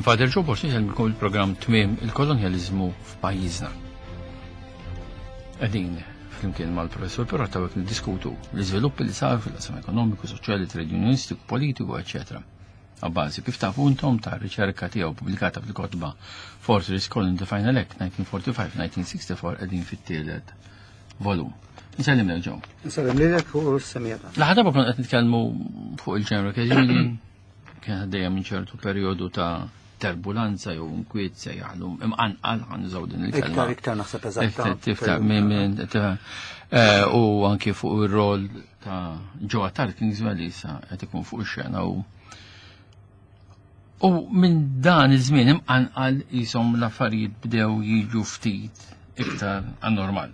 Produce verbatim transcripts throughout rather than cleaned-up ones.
Jien Father Joe Borg insellmilkom il-programm Tmiem il-Kolonjaliżmu f'pajjiżna. Qegħdin flimkien mal-professur Pirotta qed niddiskutu l-iżviluppi li saru fil-qasam ekonomiku, soċjali, trade unionistiku, politiku, eċetera. A bażi kif tafu intom ta' riċerka tiegħu pubblikata fil-kotba Fortress Colony the Final Act nineteen forty-five nineteen sixty-four, qegħdin fit-tielet volum. Nsellim lek, Joe. Nsellem lilek u s-semmiegħa. L-aħħar darba konna qed nitkellmu fuq il-General Workers Union, kien għaddejja minn ċertu perjodu ta' turbulenza jew inkwiet se jaħlu imqanqal, ħa nużaw din il-kelma. Iktar, iktar naħseb eżatta. Tiftar minn minn eh, u anki fuq ir-rol ta' Joe Attard Kingswell li issa qed ikun fuq ix-xena u U minn dan iż-żmien imqanqal jisom l-affarijiet bdew jiġu ftit iktar għan-normal.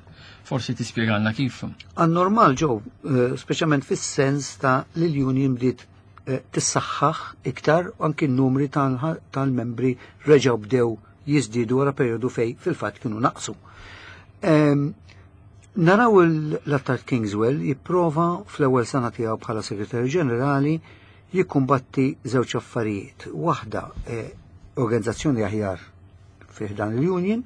Forsi tispjegalna kif. Għan-normal, Joe, eh, speċjalment fis-sens ta' li l-union bdiet eh, tissaħħaħ iktar u anki n-numri tal- tal-membri reġgħu bdew jiżdiedu wara perjodu fej fil-fatt kienu naqsu. Em, Naraw l-Attard Kingswell jipprova fl-ewwel sena tiegħu bħala segretarju ġenerali jikkumbatti żewġ affarijiet. Waħda eh, organizzazzjoni aħjar fih dan il-union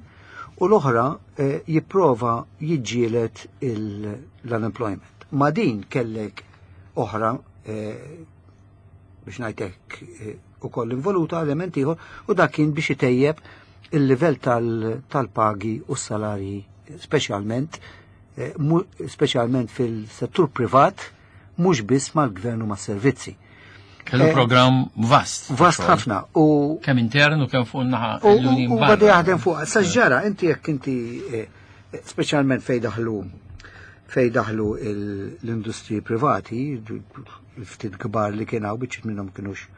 u l-oħra eh, jipprova jiġġielet il- l-unemployment. Ma din kellek oħra eh, biex ngħidlek eh, ukoll involuta element ieħor u dak kien biex itejjeb il-livell tal- tal-pagi u s-salarji, speċjalment eh, mu- speċjalment fil-settur privat, mhux biss mal-gvern u mas-servizzi. Kellu Eh, program vast. Vast ħafna u Kemm intern u kemm fuq naħa U l-union u barra. bada jaħdem fuq. Sa ġara, inti jekk inti eh, speċjalment fej daħlu fej daħlu il- l-industriji privati, il-ftit kbar li kien hawn, biċċiet minnhom kienux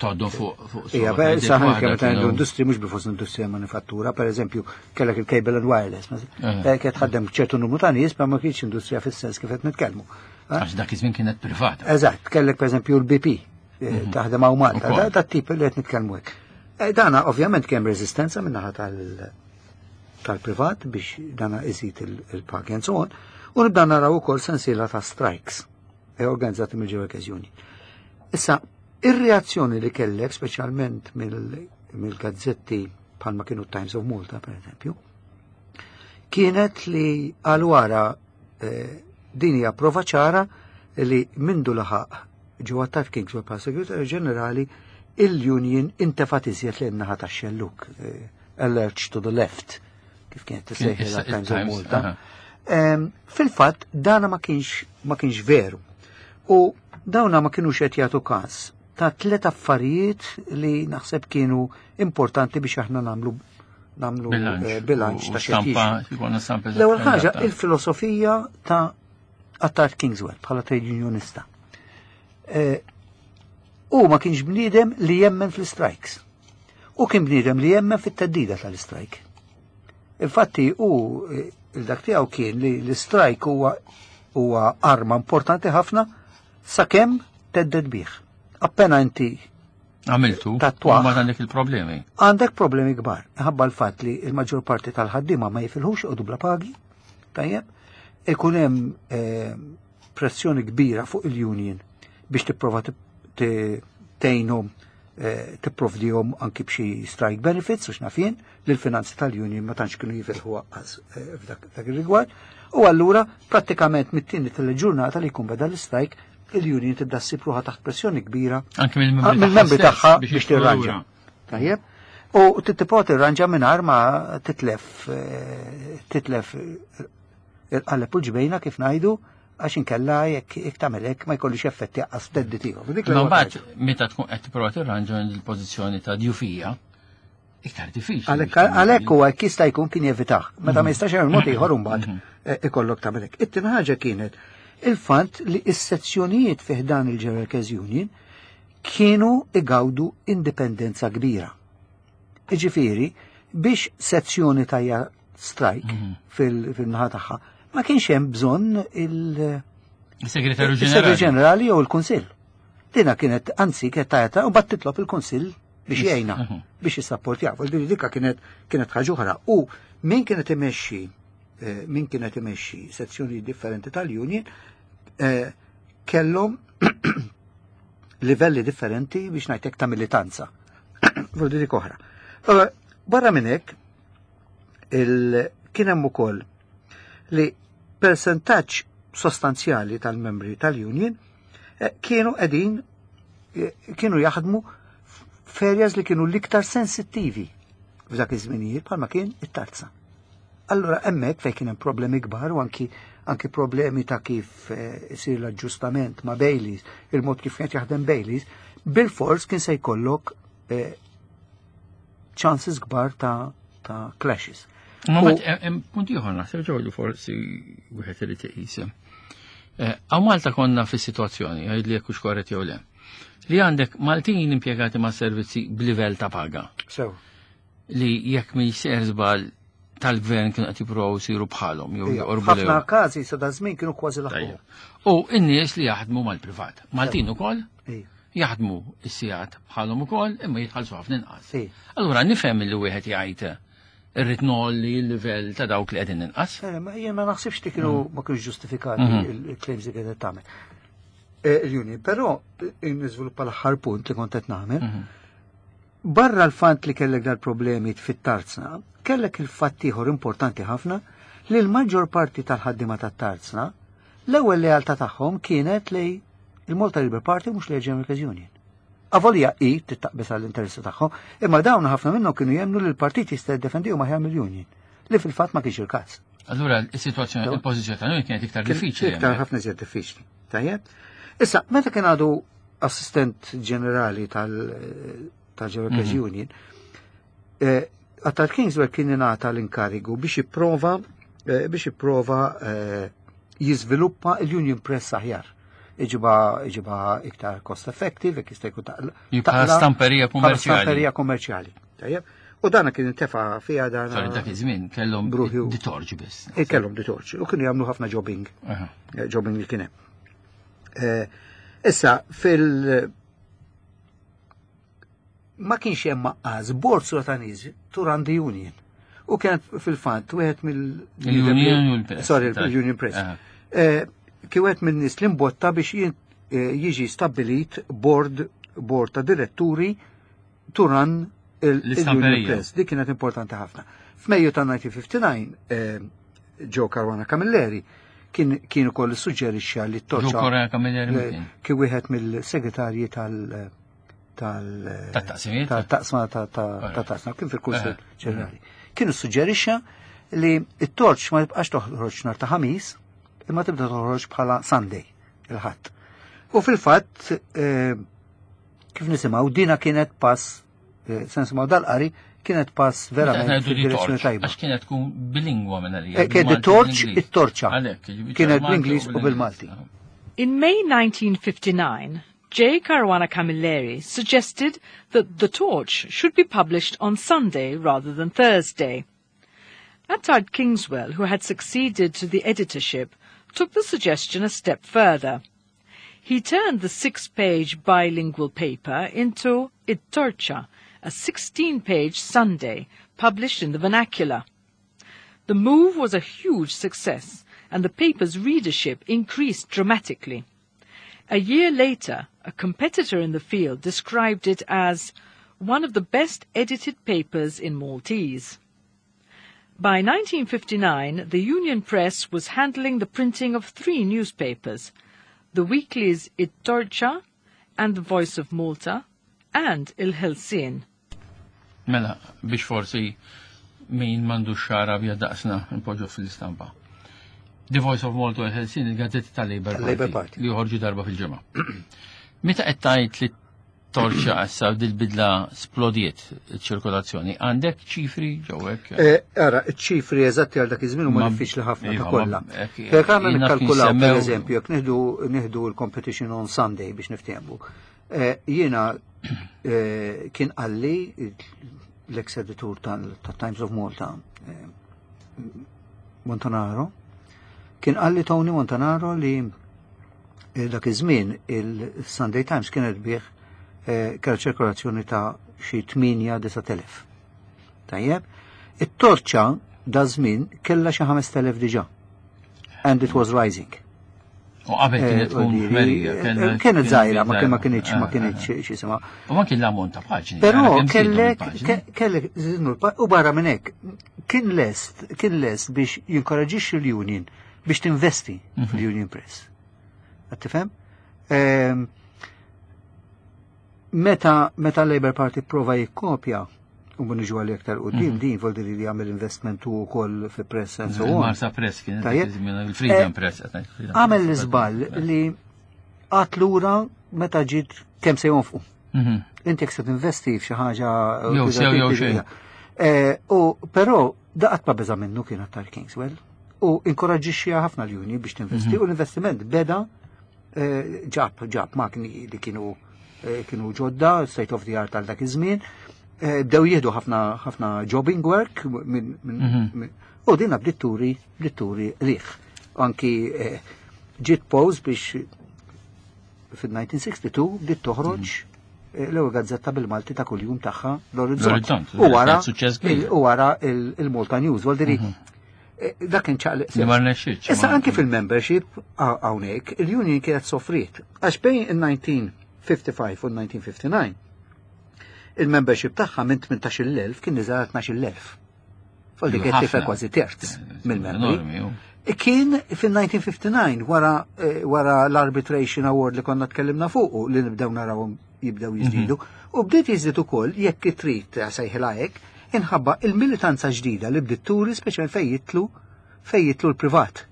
Toddu fuq fuq Ija, suq, beh, għedet saħan waħda kemm ta' kienu- l-industri, mhux bifos l-industrija manifattura, per eżempju, kellek il-cable and wireless, ma- Eh. eh, kienet tħaddem ċertu numru ta' nies, ma ma kienx industrija fis-sens kif qed nitkellmu. Eh? Għax dak iż-żmien kienet privata. Eżatt, kellek per eżempju l-B P eh, taħdem hawn Malta, Ukoll. da da tip li qed nitkellmu hekk. Eh, Dana ovvjament kemm reżistenza min-naħa tal- tal-privat biex dana iżid il- il-pagi and so on, u nibda naraw ukoll sensiela ta' strikes eh, organizzati mill-Workers Union. Issa, ir-reazzjoni li kellek, speċjalment mill- mill-gazzetti bħalma kienu Times of Malta, per eżempju, kienet li għal wara eh, din hija prova ċara li mindu laħaq Joe Attard Kingswell bħala segretarju ġenerali, il-union intefat iżjed lejn naħa tax-xelluk, eh, a lurch to the left, kif kienet tissejħilha Issa- Times of Times, Malta. aha. Em, Fil-fatt, dana ma kienx ma kienx veru. U dawna ma kienux qed jagħtu każ ta' tliet affarijiet li naħseb kienu importanti biex aħna nagħmlu nagħmlu Bilanċ. eh, bilanċ U ta' xi stampa, jkollna stampa L-ewwel ħaġa, eżatta. il-filosofija ta' Attard Kingswell bħala trade unionista. Eh, U ma kienx bniedem li jemmen fl-strikes. U kien bniedem li jemmen fit-theddida tal-strike. Infatti u eh, il-dak tiegħu kien li l-strike huwa huwa arma importanti ħafna sakemm thedded bih. Appena inti Għamiltu, Tatwaħ. u ma għandek il-problemi. Għandek problemi kbar. Ħabba l-fatt li il-maġġor parti tal-ħaddiema ma jifilħux u bla pagi, tajjeb, ikun hemm eh, pressjoni kbira fuq il-union biex tipprova tip- ti- tgħinhom, eh, tipprovdihom anki b'xi strike benefits u x'naf jien, li l-finanzi tal-union ma tantx kienu jifilħu aqqas eh, f'dak f'dak ir-rigward. U allura prattikament mit-tieni tal-ġurnata li jkun beda l-strike, il-union tibda ssib ruħha taħt pressjoni kbira Anke mill-membri Ah, mill-membri tagħha tagħha stess biex jidħlu tirranġa. lura. Tajjeb? U tittiprova tirranġa mingħajr ma titlef eh, titlef eh, il-qaleb u l-ġbejna, kif ngħidu, għax inkella jekk jekk tagħmel hekk ma jkollix effetti aqqas theddid ieħor. Dik Ma l-ewwel mbagħad ħaġa. meta tkun qed tipprova tirranġa il-pożizzjoni ta' djufija, iktar diffiċli. Għalhekk biex għalhekk huwa jekk jista' jkun kien jevitah. Meta ma jistax jagħmel mod ieħor, imbagħad eh, ikollok tagħmel hekk. It-tieni ħaġa kienet il-fatt li s-sezzjonijiet fih dan il-General Workers Union kienu igawdu indipendenza kbira. Iġifieri, biex sezzjoni tajja strike fil- fil-naħa tagħha, ma kienx hemm bżonn il- Il-segretarju il-Segretarju ġenerali. Ġenerali jew il-Kunsill. Dina kienet, anzi, kienet tajata u bat titlob il-Kunsill biex jgħinha, Mhm. biex jissapportjaw. Ġifieri dikka kienet kienet ħaġa oħra. U min kienet imexxi eh, min kienet imexxi sezzjoni differenti tal-union eh, kellhom livelli differenti, biex ngħidlek, ta' militanza. Voldiri oħra. Allora, barra minn hekk, il- kien hemm ukoll li persentaġġ sostanzjali tal-membri tal-union eh, kienu qegħdin eh, kienu jaħdmu f'areas li kienu l-iktar sensittivi f'dak iż-żminijiet bħalma kien it-tarzna. Allora hemmhekk fejn kien hemm problemi kbar u anki anki problemi ta' kif eh, isir l-aġġustament ma' Baileys, il-mod kif kienet jaħdem Baileys, bil-fors kien se jkollok eh, chances kbar ta', ta' clashes. Ma U- mbagħad hemm punt ieħor naħseb ġew li forsi wieħed irid iqis. Eh, Hawn Malta konna fis-sitwazzjoni, għid li jekk hux korrett jew le. Li għandek Maltin impjegati ma' servizzi b'livell ta' paga So, li jekk mi jsir żball tal-gvern kienu qed jippruvaw isiru bħalhom jew ija, joqorbu ħafna lejhom. każi sa da żmien kienu kważi laħqu. Tajjeb. U n-nies li jaħdmu mal-privat. Maltin ukoll Ija, jaħdmu s-sigħat bħalhom ukoll imma jitħallsu ħafna inqas. Ija. Allura nifhem li wieħed jgħid irrid ngħolli l-livell ta' dawk li qegħdin inqas. Eh, ma jien ma naħsibx li kienu ma kienux ġustifikati Mhm. il-claims li kienet tagħmel. Eh, Il-union, però eh, niżviluppa l-aħħar punt li kont qed nagħmel. Mhm. Barra l-fatt li kellek dal-problemi fit-tarzna, kellek il-fatt ieħor importanti ħafna li l-maġġor parti tal-ħaddima tat-tarzna l-ewwel lealtà tagħhom kienet li il-Malta Labour Party mhux li General Workers Union. Avolja i tittaqbes għall-interessi tagħhom, imma dawn ħafna minnhom kienu jemmnu li l-partit jista' jiddefendihom aħjar mill-union, li fil-fatt ma kienx il-każ. Allura is-sitwazzjoni, il-pożizzjoni tal-union kienet iktar Kien diffiċli. Iktar hemmhekk. ħafna iżjed diffiċli. Tajjeb? Issa, meta kien għadu assistent ġenerali tal- tal-General Workers Mhm. Union, eh, Attard Kingswell kien ingħata l-inkarigu biex jipprova eh, biex jipprova eh, jiżviluppa l-Union Press aħjar. Iġiba, iġiba iktar cost effective, jekk jista' jkun taqla. Bħala stamperija Bħala kummerċjali. stamperija kummerċjali. Tajjeb? U dana kien intefa' fiha dana. Sorry, dak iż-żmien kellhom Bruħju. The Torch biss. Eh, Kellhom The Torch. U kienu jagħmlu ħafna jobbing. Aha. eh, jobbing li kien hemm. Eh, Issa, fil- ma kienx hemm maqqas bord ta' nies to run the union. U kien fil-fatt wieħed mill Il-Union u l-Press. Sorry, il-Union Press. Aha. Eh, Kien wieħed minn nies li mbotta biex jien- eh, jiġi stabbilit board board ta' diretturi to run il- il-Union L-istamperija. Press. Dik kienet importanti ħafna. F'Mejju ta' elf disa' mija u ħamsa u disgħin eh, Joe Caruana Camilleri kien kien ukoll suġġerixxa li Joe t-torċa Caruana Camilleri le- min kien wieħed mill-segretarji tal tal Tat-taqsimiet? tal-taqsma ta' ta' ta' taqsma kien fil-Kunsill Aha. Ġenerali. Kienu suġġerixxa li t-torċ ma tibqax toħroġ nhar ta' ħamis imma tibda toħroġ bħala Sunday il-ħadd. U fil-fatt eh, kif nisimgħu dina kienet pass eh, se nisimgħu dal-qari kienet pass verament fid-direzzjoni tajba. Għax kienet tkun bilingwa minn għalija. Eh, Kienet bil-Malti u torch bl-Ingliż. it-torċa. Għalhekk, jiġifieri Kienet bil-Malti bl-Ingliż u bil-Malti. In May nineteen fifty-nine, J. Caruana Camilleri suggested that The Torch should be published on Sunday rather than Thursday. Attard Kingswell, who had succeeded to the editorship, took the suggestion a step further. He turned the six-page bilingual paper into It Torcha, a sixteen-page Sunday published in the vernacular. The move was a huge success, and the paper's readership increased dramatically. A year later, a competitor in the field described it as one of the best edited papers in Maltese. By nineteen fifty-nine, the Union Press was handling the printing of three newspapers, the weeklies It Torcha and The Voice of Malta, and Il Ħelsien. Mela, biex forsi min m'għandux xagħar abjad daqsna npoġġu fil-istampa. The Voice of Malta u Il-Ħelsien, il-gazzetti tal-Labor Tal-Labor Party, Party. li joħorġu darba fil-ġimgħa. Meta qed tgħid li torċa issa dil-bidla splodiet ċirkolazzjoni, għandek ċifri ġewwek? Eh, Ara, ċifri eżatti għal dak iż-żmien huma Ma- diffiċli ħafna ta' Iva, kollha. ma- ek- Jekk aħna jien naf nikkalkulaw jinsemmew- pereżempju, jekk nieħdu nieħdu l-competition on Sunday biex niftehmu. Eh, Jiena eh, kien qalli l-ex editur tal-Times of Malta, eh, Montanaro, kien qalli Tony Montanaro li eh, dak iż-żmien il-Sunday Times kienet bih eh, kellha ċirkolazzjoni ta' xi tmienja disa' telef. Tajjeb, it-torċa da żmien kellha xi ħamest elef diġà. And it was rising. U qabel kienet tkun ħmerija. Kienet żgħira, ma kien ma kienx ma kienx x'jisimha. U anki l-ammont ta' paġni. Però kellek kellek u barra minn hekk kien lest kien lest biex jinkoraġixxi l-union biex tinvesti fil-Union Press. Qed tifhem? Meta meta Labour Party prova jikkopja u niġu għal iktar quddiem din voldi li jagħmel investment u wkoll fi press and so on. Marsa Press kien il-Freedom Press. Għamel l-iżball li għat lura meta ġiet kemm se jonfqu. Inti jekk se tinvesti f'xi ħaġa Jew sew jew xejn. U però daqat ma beża minnu kien Attard Kingswell u inkoraġġixxi ħafna l-union biex tinvesti u l-investiment beda ġab ġab makni li kienu kienu ġodda, state of the art għal dak iż-żmien. Bdew jieħdu ħafna ħafna jobbing work minn u din bdiet turi bdiet turi riħ. Anki ġiet pause biex fil-elf disa' mija u sitta u sittin bdiet toħroġ l-ewwel gazzetta bil-Malti ta' kuljum tagħha, l-Orizzont. U wara u wara il-Malta News. Vuol dire dak kien ċaqliq. Issa anki fil-membership hawnhekk il-union kienet soffriet għax bejn il-elf disa' mija u ħamsa u ħamsin u elf disa' mija u ħamsa u disgħin il-membership tagħha minn tmintax-il elf kien niżel tnax-il elf. Foldi kien tifel kważi terz mill-membri. Kien fil-elf disa' mija u ħamsa u disgħin wara wara l-arbitration award li konna tkellimna fuqu li nibdew narawhom jibdew jiżdiedu. U bdiet jiżdied ukoll, jekk trid sejħilha hekk, inħabba il-militanza ġdida li bdiet turi, speċjal fejn jidħlu fejn jidħlu l-privat.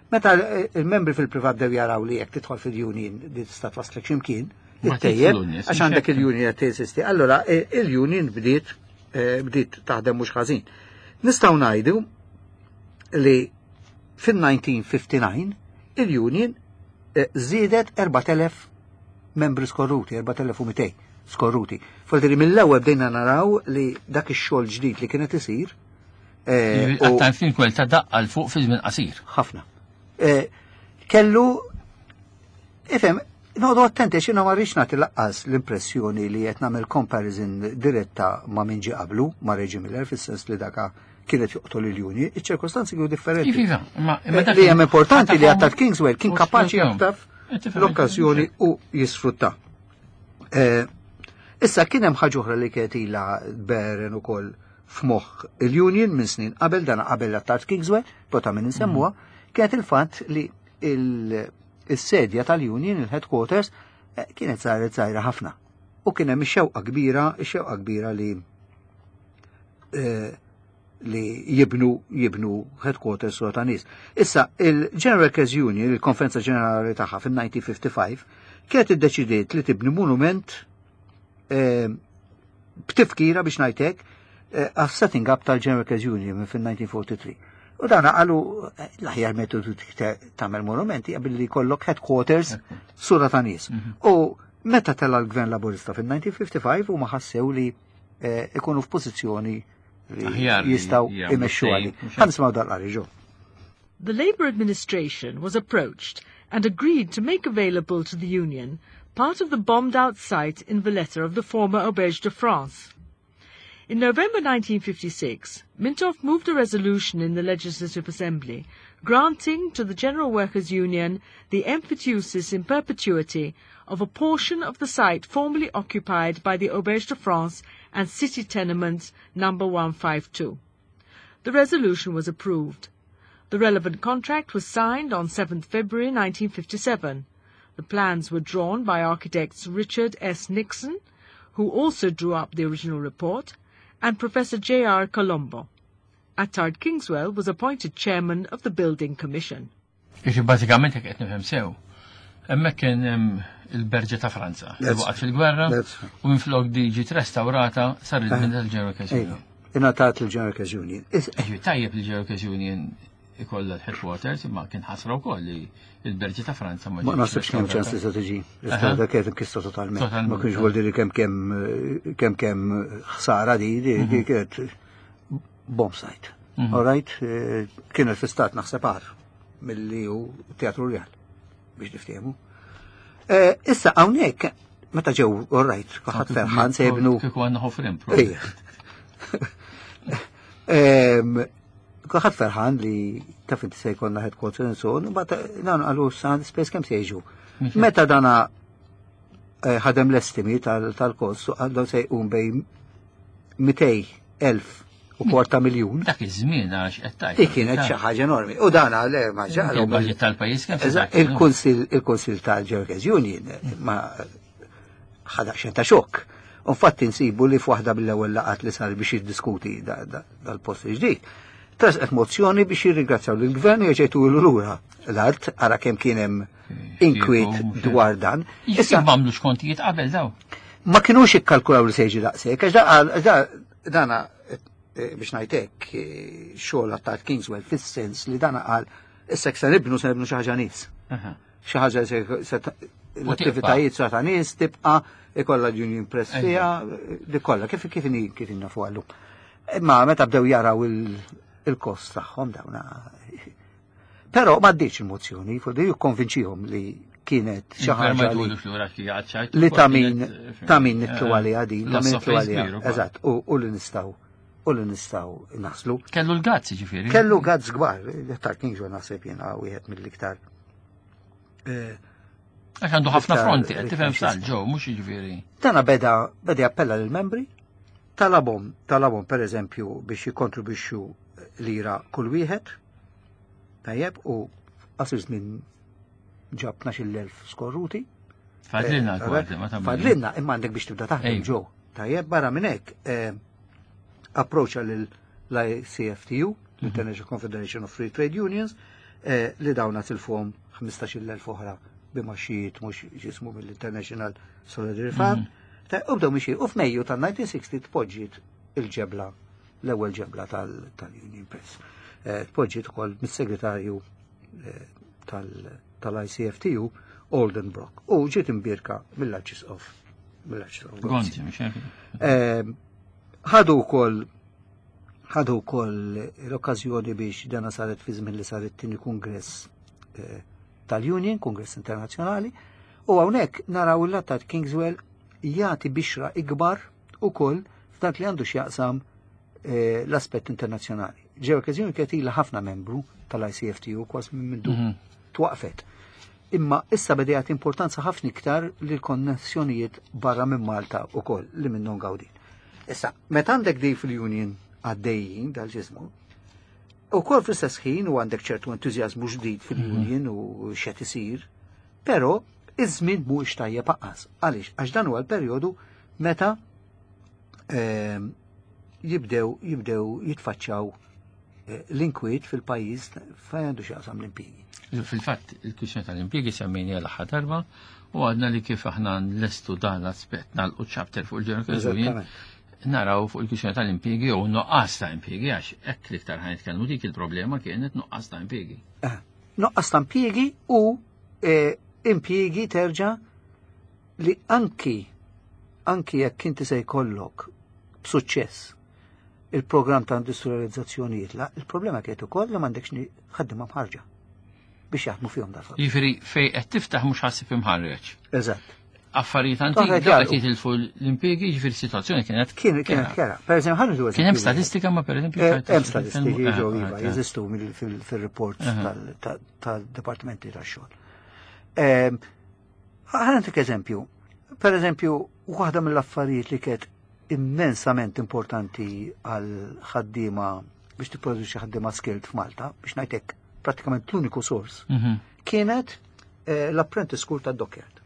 Meta il-membri fil-privat dew jaraw li jekk tidħol fil-union li tista' twaslek x'imkien, ittejjeb, għax għandek il-union qed teżisti. Allora il-union bdiet bdiet taħdem mhux ħażin. Nistgħu ngħidu li fil-elf disa' mija u ħamsa u disgħin il-union żiedet erbat elef membri skorruti, erbat elef u mitejn skorruti. Vuol dire mill-ewwel bdejna naraw li dak ix-xogħol ġdid li kienet isir. Attard Kingswell ta' daqqa 'l fuq fi żmien qasir. Ħafna. Kellu, ifhem, noqogħdu attenti għax jiena ma rridx nagħti lanqas l-impressjoni li qed nagħmel comparison diretta ma' min ġie qablu, ma' Reggie Miller, fis-sens li daka kienet joqtol il-union, iċ-ċirkostanzi kienu differenti. Iva, ma Li hemm importanti li Attard Kingswell kien kapaċi jaħtaf l-okkażjoni u jisfrutta. Issa kien hemm ħaġa oħra li kienet ilha beren ukoll f'moħħ il-union minn snin qabel, dana qabel Attard Kingswell, pota minn insemmuha, kienet il-fatt li il-sedja tal-union, il-headquarters, kienet saret żgħira ħafna. U kien hemm ix-xewqa kbira, ix-xewqa kbira li li jibnu jibnu headquarters u ta' nies. Issa, il-General Workers Union, il-Konferenza Ġenerali tagħha fil-elf disa' mija u ħamsa u ħamsin, kienet iddeċidiet li tibni monument b'tifkira, biex ngħidlek, għas setting up tal-General Workers Union fil-elf disa' mija u tlieta u erbgħin. U dan qalu l-aħjar metodu tagħmel monumenti billi jkollok headquarters sura ta' nies. U meta tela l-Gvern Laburista fil-elf disa' mija u ħamsa u ħamsin u ma ħassew li ikunu f'pożizzjoni li jistgħu imexxu għali. Ħa nisimgħu dal-qari, Joe. The Labour administration was approached and agreed to make available to the union part of the bombed-out site in Valletta of the former Auberge de France. In November nineteen fifty-six, Mintoff moved a resolution in the Legislative Assembly granting to the General Workers' Union the emphyteusis in perpetuity of a portion of the site formerly occupied by the Auberge de France and City Tenement number one five two. The resolution was approved. The relevant contract was signed on seventh February nineteen fifty-seven. The plans were drawn by architects Richard S. Nixon, who also drew up the original report, and Professor J R. Colombo. Attard Kingswell was appointed chairman of the Building Commission. Iġi bażikament, jekk qed nifhem sew, hemmhekk kien hemm il-Berġa ta' Franza li waqgħet fil-gwerra u minflok di ġiet restaurata sar il-bini tal-General Workers Union. Ingħatat il-General Workers Union. Iġi tajjeb il-General Workers Union ikollha l-headquarters, imma kien ħasra wkoll li il-Berġa ta' Franza ma Ma naħsibx kemm ċans li se tiġi restaurata, kienet imkissra totalment. Ma kienx vuol dire kemm kemm kemm kemm ħsara di di kienet bomb site. All right, kienet fi stat naħseb agħar milli hu Teatru Real biex niftehmu. Issa hawnhekk meta ġew, all right, kulħadd ferħan se jibnu. Kieku għandna ħofrim. Kulħadd ferħan li taf inti se jkollna headquarter and so on, but dan qalu sa space kemm se jiġu. Meta dana eh, ħadem l-estimi tal-kost, għallu se jqum bejn mitejn elf u kwarta miljun. Dak iż-żmien għax qed tgħid. Dik kienet xi ħaġa enormi. U dana le ma ġaqlu. Il-budget tal-pajjiż kemm se Il-Kunsil il-Kunsil tal-Workers Union ma ħadha xejn ta' xokk. Infatti nsibu li f'waħda mill-ewwel laqgħat li sar biex jiddiskuti dal-post ġdid. Tressqet mozzjoni biex jirringrazzjaw lill-gvern jerġgħu lura l-art, ara kemm kien hemm inkwiet dwar dan. Issa m'għamlux kontijiet qabel daw. Ma kinux ikkalkulaw li se jiġi daqshekk, għax dana eh, biex ngħidlek eh, xogħol ta' Kingswell fis-sens li dana qal issa se nibnu se nibnu xi ħaġa nies. Xi ħaġa l-attivitajiet sa ta' nies tibqa' ikollha Union Press fiha, di kollha kif kif kif nafu għallum. Imma meta bdew jaraw il-kost tagħhom dawna. Però m'għaddiex il-mozzjoni, fuq jikkonvinċihom li kienet xi ħaġa li ta' min ta' min nitlu għaliha din, ta' min nitlu għaliha. Eżatt, u li nistgħu u li nistgħu naslu. Kellu l-guts ġifieri. Kellu guts kbar, ta' Kingswell naħseb jiena wieħed mill-iktar. Eh, Għax għandu ħafna fronti, qed tifhem sal ġew, mhux jiġifieri. Tana beda beda jappella lill-membri, talabhom, talabhom per eżempju biex jikkontribwixxu lira kull wieħed, tajjeb, u qasir żmien ġab tnax-il elf skorruti. Fadlilna l-kwarti, ma tagħmel. Fadlilna, imma għandek biex tibda taħdem ġew. Tajjeb, barra minn hekk, eh, approacha lill-I C F T U, l-International Confederation of Free Trade Unions, eh, li dawna tilfuhom ħmistax-il elf oħra b'imgħaxijiet mhux ġismu mill-International Solidarity Fund. Ta' U bdew mixi, u f'Mejju tal-elf disa' mija u sittaw u sittin tpoġġiet il-ġebla, l-ewwel ġebla tal- tal-Union Press. Eh, Tpoġġiet ukoll mis-segretarju eh, tal- tal-I C F T U, Alden Brock. U ġiet imbierka mill-Arċisqof. Mill-Arċisqof Gonzi, mhux hekk? Eh, ħadu wkoll ħadu wkoll l-okkażjoni biex dana saret fi żmien li saret tieni kongress eh, tal-Union, Kongress Internazzjonali, u hawnhekk naraw il-Attard Kingswell jagħti bixra ikbar ukoll f'dak li għandu x'jaqsam eh, l-aspett internazzjonali. Ġew okkażjoni kienet ilha ħafna membru tal-I C F T U kważi minn mindu Mhm. twaqfet. Imma issa beda jagħti importanza ħafna iktar lil konnessjonijiet barra minn Malta ukoll li minnhom gawdin. Issa, meta għandek di fil-Union għaddejjin dal-ġismu, u kol fl-istess ħin u għandek ċertu entużjażmu ġdid fil-Union u x'qed isir, però iż-żmien mhuwiex tajjeb anqas. Għaliex? Għax dan huwa l-perjodu meta ehm, jibdew jibdew jitfaċċaw eh, l-inkwiet fil-pajjiż fejn għandu x'jaqsam l-impjiegi. Fil-fatt, il-kwistjoni tal-impjiegi semmejni l-aħħar darba u għadna li kif aħna nlestu dan l-aspett nagħlqu chapter fuq il-General Union, Eżattament. naraw fuq il-kwistjoni tal-impjiegi u nuqqas ta' impjiegi, għax hekk l-iktar ħa nitkellmu, dik il-problema kienet nuqqas ta' impjiegi. Eh, Nuqqas ta' impjiegi u eh, impjiegi terġa' li anki anki jekk inti se jkollok b'suċċess il-programm ta' industrializzazzjoni jitlaq, il-problema kienet ukoll li m'għandekx ni- ħaddiema mħarġa biex jaħdmu fihom dal. Jiġifieri fej qed tiftaħ mhux ħassib imħarreġ. Eżatt. Affarijiet Toħra antiki dawk qed jgħalqu. jitilfu l-impjiegi, jiġifieri s-sitwazzjoni kienet Kien kienet kera. Per eżempju, ħa nieħdu Kien hemm statistika ma pereżempju Eh, Hemm statistiki Eh, ġew eh, iva, eh. jeżistu mill- fil- fil-reports Aha. tal- tal- tal-dipartimenti tax-xogħol. Ehm, Ħa ntik eżempju. Per eżempju, waħda mill-affarijiet li kienet immensament importanti għal ħaddiema biex tipproduċi ħaddiema skilled f'Malta, biex ngħidlek prattikament l-uniku sors, Mhm. kienet eh, l-apprentice school ta' Dockyard.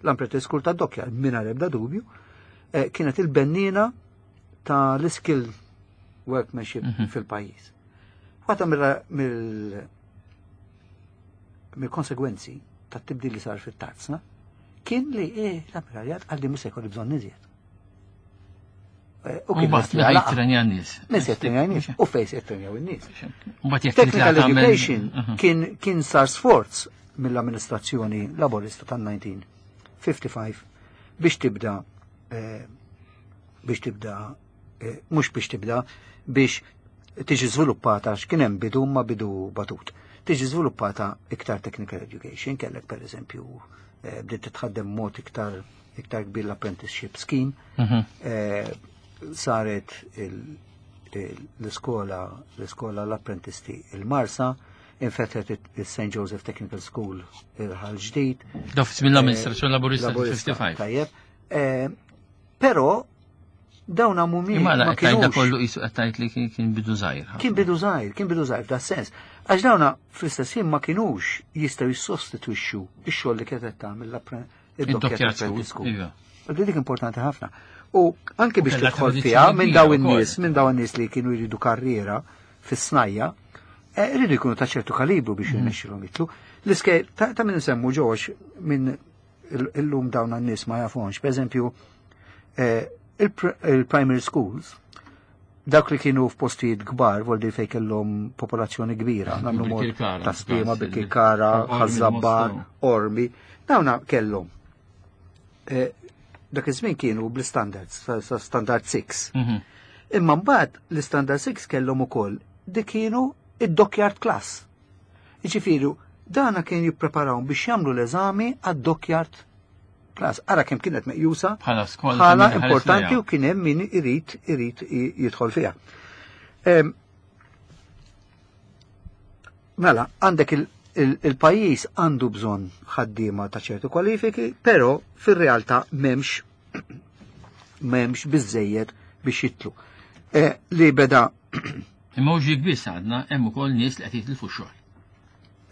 L-apprentice school ta' Dockyard, mingħajr ebda dubju, eh, kienet il-bennina ta' l-skill workmanship Mhm. fil-pajjiż. Waħda mill- mill- mill-konsegwenzi ta' tibdil li sar fit-tarzna kien li eh, l-ammiraljat għalli mhux se jkolli bżonn iżjed. Eh, U U kien mbagħad lest li għalaqa. jitrenja n-nies. Min se jitrenja n-nies u fejn se jitrenjaw in-nies. U mbagħad jekk Technical titla' tagħmel- education Mhm. kien, kien sar sforz mill-amministrazzjoni laborista tal-elf disa' mija u ħamsa u ħamsin biex tibda eh, biex tibda eh, mhux biex tibda, biex tiġi żviluppata, għax kien hemm bidu ma bidu batut. Tiġi żviluppata iktar technical education, kellek per eżempju eh, bdiet titħaddem mod iktar iktar kbir l-apprenticeship scheme, Mhm. eh, saret il- l-iskola l-iskola l-apprentisti il-Marsa, infetħet il-Saint Joseph Technical School il-Ħal Ġdid. Daf mill-amministrazzjoni laburista ħamsa u ħamsin. Tajjeb. Però dawn mhumiex. Imma la qed kollu qisu qed tgħid li kien bidu żgħir. Kien bidu żgħir, kien bidu żgħir f'da sens. Għax dawna fl-istess ħin ma kinux jistgħu jissostitwixxu x-xogħol li kienet tagħmel id-Dockyard Apprentice School. Iva. Dik importanti ħafna. U anke biex tidħol fiha minn dawn in-nies, minn dawn in-nies li kienu jridu karriera fis-snajja, rridu jkunu ta' ċertu kalibru biex mhm. jirnexxilhom jitlu. L-iskejjel ta' minn nsemmu ġox minn illum dawn n-nies ma jafonx. Per eżempju, il-primary schools, dak li kienu f'postijiet kbar, voldi fej kellhom popolazzjoni kbira, nagħmlu mod ta' Sliema, Birkirkara, Ħaż-Żabbar, Qormi, dawna kellhom. Dak iż-żmien kienu bl-standards, sa standard six. Mhm. Imma mbagħad l-standard six kellhom ukoll dik kienu id-dockyard class. Jiġifieri, dana kien jippreparawhom biex jagħmlu l-eżami għad-dockyard class. Ara kemm kienet meqjusa bħala skola bħala importanti u kien hemm min irid irid jidħol fiha. Mela, għandek il-pajjiż għandu bżonn ħaddiema ta' ċertu kwalifiki, però fir-realtà m'hemmx m'hemmx biżejjed biex jitlu. Li beda Imma mhux dik biss għadna hemm ukoll nies li qed jitilfu x-xogħol.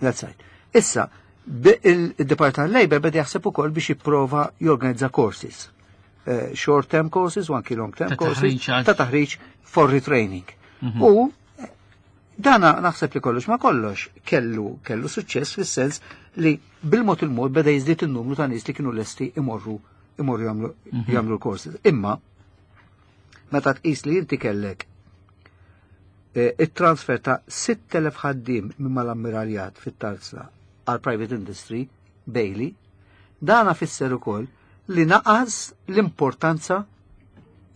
That's right. Issa, il-Department Labor beda jaħseb ukoll biex jipprova jorganizza courses. Short term courses u anki long term courses ta' taħriġ for retraining. Mhm. U dana naħseb li kollox ma kollox kellu kellu suċċess fis-sens li bil-mod il-mod beda jiżdied in-numru ta' nies li kienu lesti imorru imorru jagħmlu mhm. jagħmlu l-courses. Imma meta tqis li inti kellek it-transfer ta' sitt elef ħaddiem minn mal-ammiraljat fit-tarzna għal private industry, Bailey, dana fisser ukoll li naqas l-importanza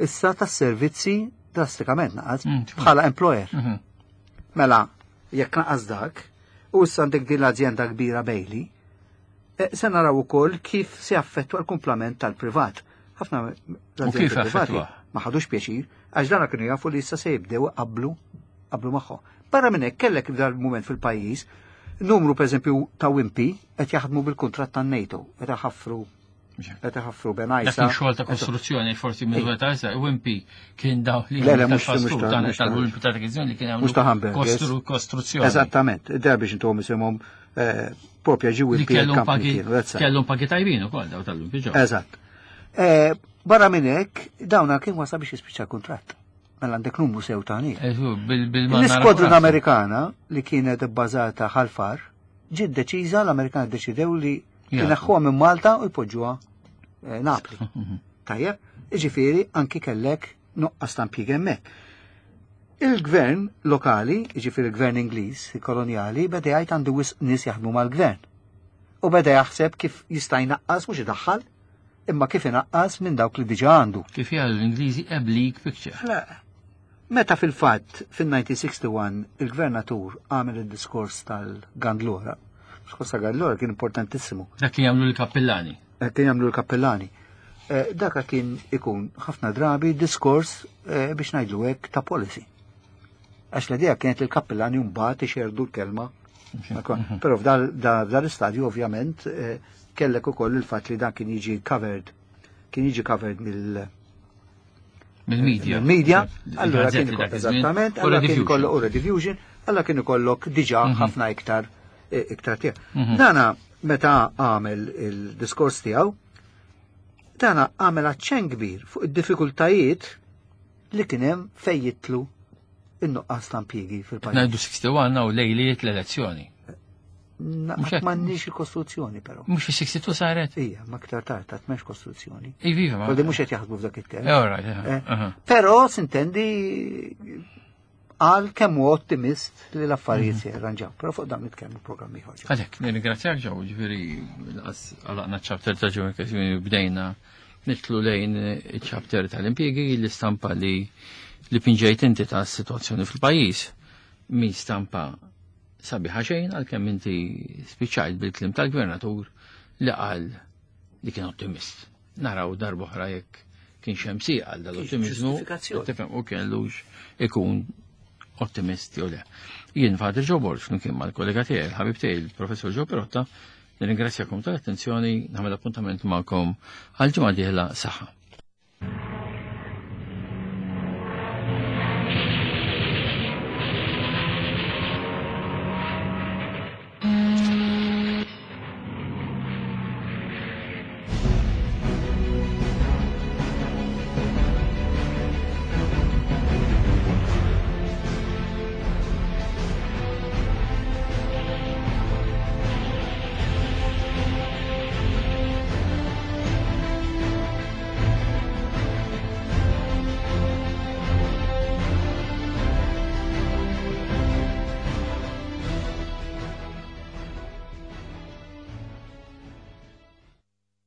issa tas-servizzi drastikament naqas mm, bħala employer. Mhm. Mela, jekk naqas dak, u issa għandek din l-azienda kbira Bailey, se naraw ukoll kif se jaffettwa l-kumplament tal-privat. Ħafna l-azjendi privati ma ħadux pjaċir, għax dana kienu jafu li issa se jibdew qablu qablu magħhom. Barra minn hekk kellek f'dal mument fil-pajjiż numru pereżempju ta' Wimpy qed jaħdmu bil-kuntratt tan-NATO, qed iħaffru qed iħaffru Bengħajsa. Dak xogħol ta' kostruzzjoni forsi minn weta issa Wimpy kien daw li Le, le, mhux tal-Wimpy ta' dak li kien mhux ta' hamburgers. Kostruzzjoni. Eżattament, der biex intuhom isimhom propja ġi Wimpy kellhom pagi kellhom pagi tajbin ukoll daw tal-Wimpy ġew. Eżatt. Barra minn hekk dawna kien wasal biex jispiċċa kuntratt. Mela għandek numru sew ta' nies. L-iskwadrun Amerikana li kienet bbażata Ħal Far ġiet deċiża, l-Amerikani ddeċidew li jneħħuha minn Malta u jpoġġuha Napli. Tajjeb, jiġifieri anki kellek nuqqas ta' impjieg hemmhekk. Il-gvern lokali, jiġifieri il-gvern Ingliż, kolonjali, beda jgħid għandu wisq nies jaħdmu mal-gvern. U beda jaħseb kif jista' jnaqqas mhux idaħħal, imma kif inaqqas minn dawk li diġà għandu. Kif jgħidu l-Ingliżi a bleak picture. La, meta fil-fatt fin-nineteen sixty-one il-gvernatur għamel id-diskors tal-Gandlora. Diskors tal-Gandlora kien importantissimu. Dak li jagħmlu l-kappellani. Dak li jagħmlu l-kappellani. Dak kien ikun ħafna drabi diskors biex ngħidlu hekk ta' policy. Għax l-idea kienet li l-kappellani mbagħad ixerdu l-kelma. Però f'dal istadju ovvjament kellek ukoll il-fatt li dan kien jiġi covered, kien jiġi covered mill Mill-media. Mill-media, Il-gazzetti allora kien dak ikollok iż-żmien. eżattament, U allora kien rediffusion. ikollok u rediffusion, allora kien ikollok diġà Mhm. ħafna iktar, iktar tiegħu. Mhm. Dana meta għamel il-diskors tiegħu, dana għamel aċċenn kbir fuq id-diffikultajiet li kien hemm fejn jitlu in-nuqqas ta' impjiegi fil-pajjiż. Ngħidu sixty-one u lejliet l-elezzjoni. Na, Mhux hekk. m'għandniex il-kostruzzjoni però. Mhux fis-sixty-two saret? Ija, ma aktar tard, ta' m'hemmx kostruzzjoni. Iva, iva, ma- Kolli mhux qed jaħdmu f'dak it-temp. Eh, all right, eh, Eh, aha. Però s'intendi għal kemm hu ottimist li l-affarijiet Mhm. se jirranġaw. Però fuq dan nitkellmu programm ieħor. Għalhekk, nirringrazzjak ġew, ġifieri lanqas għalaqna ċ-chapter ta' ġew ġifieri bdejna nitlu lejn iċ-chapter tal-impjiegi, l-istampa li li pinġejt inti ta' situazzjoni fil-pajjiż. Mi stampa sabiħa xejn għalkemm inti spiċċajt bil-klim tal-gvernatur li qal li kien ottimist. Naraw darb'oħra jekk Kienx hemm sieq għal dal-ottimizmu. Ġustifikazzjoni. Tifhem u kellux ikun ottimisti u le. Jien Father Joe Borg, flimkien mal-kollega tiegħi, il-ħabib tiegħi, il-Professor Joe Pirotta, nirringrazzjakom tal-attenzjoni, nagħmel appuntament magħkom għal ġimgħa dieħla saħħa.